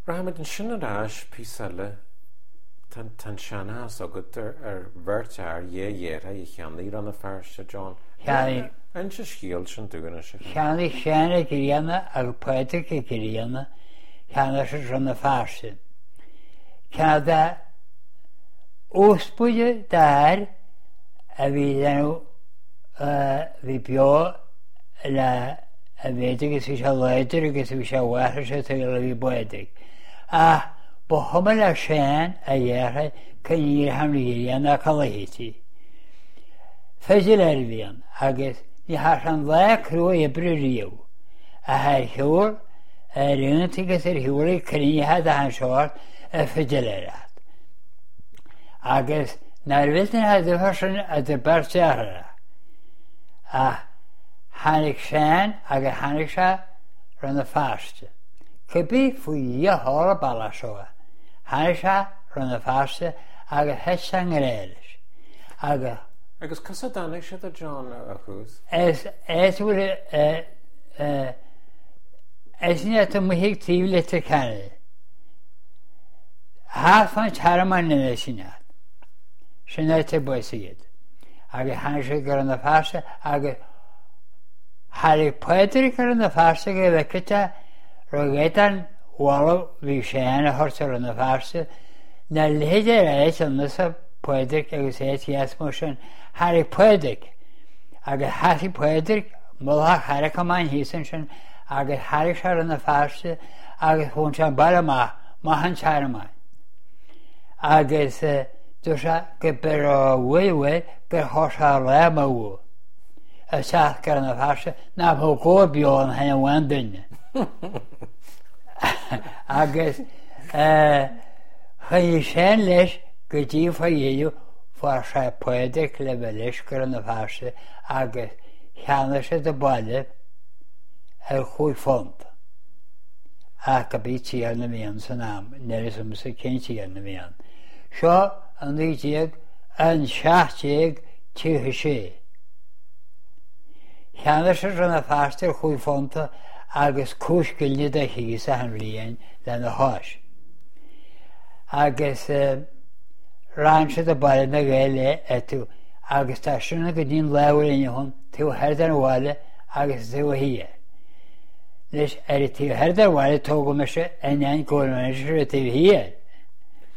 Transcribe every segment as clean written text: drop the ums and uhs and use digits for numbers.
Rachaimid ansin ar ais píosa eile. Tá an seanchas agat ar bheirt fhear, dhá dheartháir a cheannaigh Rann na Feirste, John. Cheannaigh. Inis an scéal sin dúinn anois. Cheannaigh Seán Ó Grianna agus Pádraig Ó Grianna, cheannaigh siad Rann na Feirste. Ceann de úspaide d'fhear a bhí déanamh, bhí beo le a mhéid agus bhí sé láidir agus bhí sé mháthair sé saol a bhí Pádraig. Ach ba chuma le Seán a dheartháir cá n-éireodh an ghrian ná cá luífeadh sí. Fidiléir a bhí ann agus ní thearn sé aon lá crua oibre riamh. Ach ar shiúl, ar aontaí agus ar shiúl ag cruinnithe d'achan seort ag fidiléireacht. Agus nár mhill an difear sin idir beirt deartháireacha. Ach tháinig Seán agus tháinig sé Rann na Feirste. Cibé faoi Dhia tharla an bealach seo é. Tháinig sé Rann na Feirste agus thit sé i ngrá leis. Agus. Agus conas a dtáinig siad a John ar thús? Is áit a bhfuil is in áit amuigh ag taobh Leitir Ceanainn. Thart fán Tearmann anois sin áit. Sin áit ar bás iad. Agus tháinig siad go Rann na Feirste agus tháinig Pádraig go Rann na Feirste go bhfeicfeadh sé raibh éadán mhallaibh bhí Seán a thabhairt go Rann na Feirste ná leithéid ar áit ionasa Pádraig agus áit dheas mar sin. Tháinig Pádraig agus sheasaigh Pádraig mullach Charraig Chomáin thíos ansin agus tháinig sé Rann na Feirste agus bhain sé an baile amach, amach an Tearmainn. Agus dúirt sé go raibh uaidh uaidh gur chuir sé a lámh amú isteach go Rann na Feirste nach mbeadh gabha beo ann féin amháin duine. Agus choinnigh Seán leis go dtí fá dheireadh fuair sé Pádraig le bheith leis go Rann na Feirste agus cheannaigh siad an baile ar chúig phunt. Ach go b'í tiarna a bhí ann san am, níl a fhios agamsa cén tiarna a bhí ann. Seo 19 an 1736. Cheannaigh siad Rann na Feirste ar chúig phunta agus cúig scilling de chíos achan bhliain lena chois. Agus rann siad an baile na Gaeil é etu agus tá sin go dtí an lá a bhfuil inniu ann taobh thoir den bhaile agus taobh thiar. Anois ar an taobh thoir den bhaile tógadh mise in ainneoin go bhfuil mé anois ar an taobh thiar.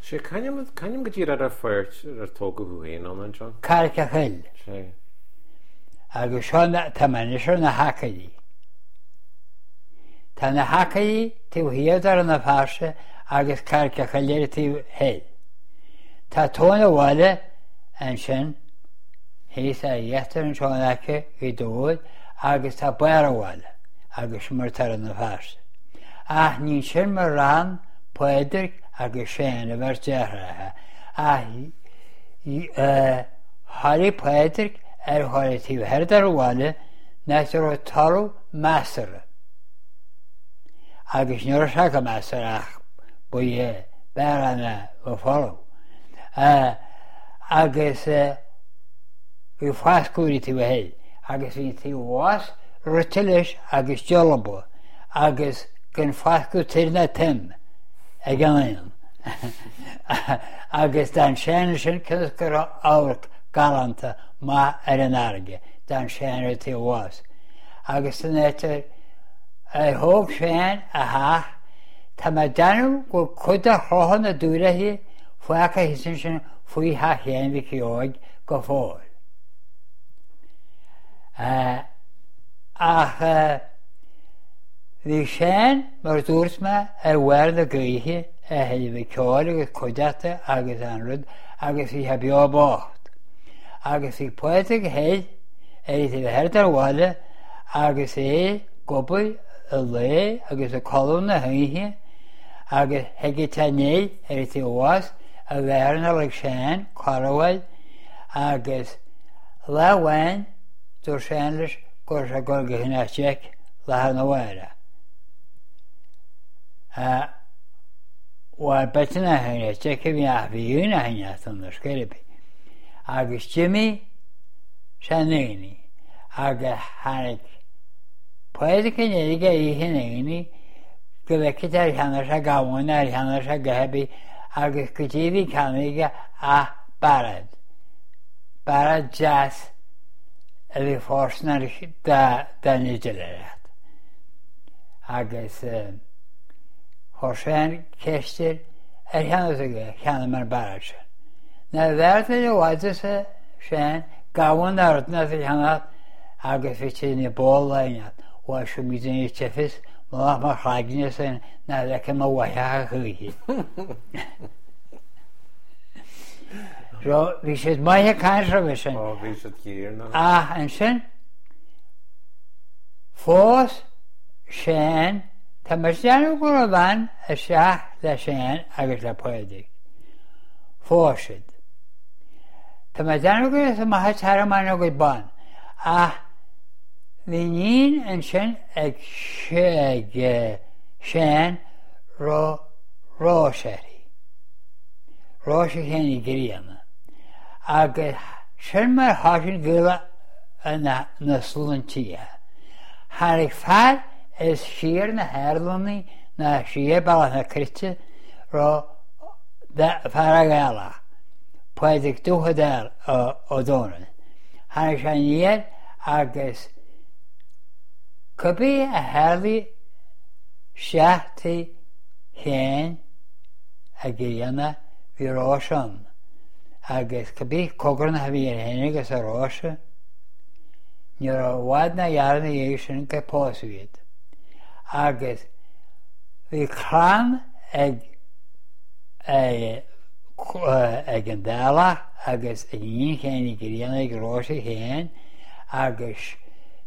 Sé, c'ainm, c'ainm go díreach ar an pháirc ar tógadh thú féin ann, a John? Carraic a' Choill. Sé. Agus seo, tá mé anois ar na hAcairí. Tá na hAcairí taobh thiar de Rann na Feirste agus Carraic a' Choill ar an taobh thoir. Tá tóin an bhaile ansin thíos ar íochtar anseo in aice Ghaoth Dobhair agus tá barr an bhaile agus sin mar atá Rann na Feirste. Ach ní sin mar fhan Pádraig agus Seán a bheirt deartháireacha ach tháinig Pádraig ar dhul an taobh thoir den bhaile nach raibh talamh measartha agus ní raibh sé go measartha ach ba é b'fhearr ná ba folamh agus bhí foscadh ar an taobh thoir agus bhí an taobh abhus rite leis agus dealbha agus gan foscadh tir ná toim ag an éan agus d'fhan Seán ansin cionn is go raibh amharc galánta maith ar an fharraige, d'fhan Seán ar an taobh abhus. Agus san áit ar ar thóg Seán a theach, tá mé ag déanamh go bhfuil cuid de chlocha na dúrithí fágtha thíos ansin faoi theach Sheáin Mhicí Óig go fóill. Ach bhí Seán, mar a dúirt mé, ar bharr na gaoithe, a thuilleamh ceoil agus cuideachta agus an rud agus bhí sé beo bocht. Agus bhí Pádraig thoir ar an taobh thoir den bhaile agus é ag obair an lae agus ag codladh na hoíche agus thigeadh sé aniar ar an taobh abhus a bheith ar ag Seán corruair agus lá amháin dúirt Seán leis go raibh sé ag dul go Cnoc Jeaic lá arna mhárach. Bhuel, b'fhéidir nach é Jeaic a bhí ach bhí aoinne a sheinneadh san ar scor ar bith. Agus d'imigh sé an aonaigh agus tháinig Pádraig in éirigh oíche an aonaigh. Go bhfeicfeadh ar cheannaigh sé gamhain ar cheannaigh sé a dhath ar bith agus goidé a bhí ceannaithe aige ach bairéad. Bairéad deas a bhí fóirsteanach don fhidiléireacht. Agus chuir Seán ceist air ar cheannaigh tú é, cheannaigh mé an bairéad sin. Nárbh fhearr duit i bhfad arsa Seán, gamhain nó rud inteacht a cheannach agus bhí sé ina ball laineach. Bhuel, seo muid ina teifis, mullach mo chloigne sin nach bhfeicfidh mo mhaith a choíche. So, bhí siad maith ag caint roimhe sin. Ó, bhí siad thiar. Ach ansin, phós Seán, tá mé ag déanamh go raibh bean isteach le Seán agus le Pádraig. Phós siad. Tá mé ag déanamh go raibh amach ag tearmann a gcuid ban, ach bhí iníon ansin ag Seán raibh Róis uirthi, Róise Sheáin Uí Ghrianna, agus sin mar thosaigh an gaol na sloinntithe. Tháinig fear as siar na hArlannaí ná siar Bealach na Cruite raibh fear Gaelach, Pádraig Dubh Ó Dónaill. Tháinig sé aniar agus cibé a tharlaigh isteach tigh Sheáin Uí Ghrianna bhí Róise ann agus cibé cogarnach a bhí air féin agus ar Róise, ní raibh i bhfad ná gearr ina dhiaidh sin gur pósadh iad. Agus bhí clann ag ag an Dálach agus ag iníon Sheáin Uí Ghrianna ag Róise féin agus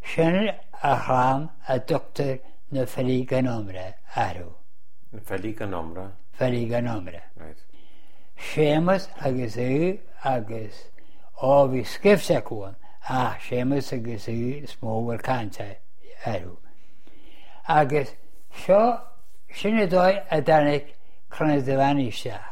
sin a chlann a dtugtar na Filí gan Iomrá orthu. Na Filí gan Iomrá? Filí gan Iomrá. Right. Séamus agus Aodh agus, ó bhí scaifte acu ann, ach Séamus agus Aodh is mó a bhfuil caint orthu. Agus seo, sin an dóigh a dtáinig Clann na Duibheannaigh isteach.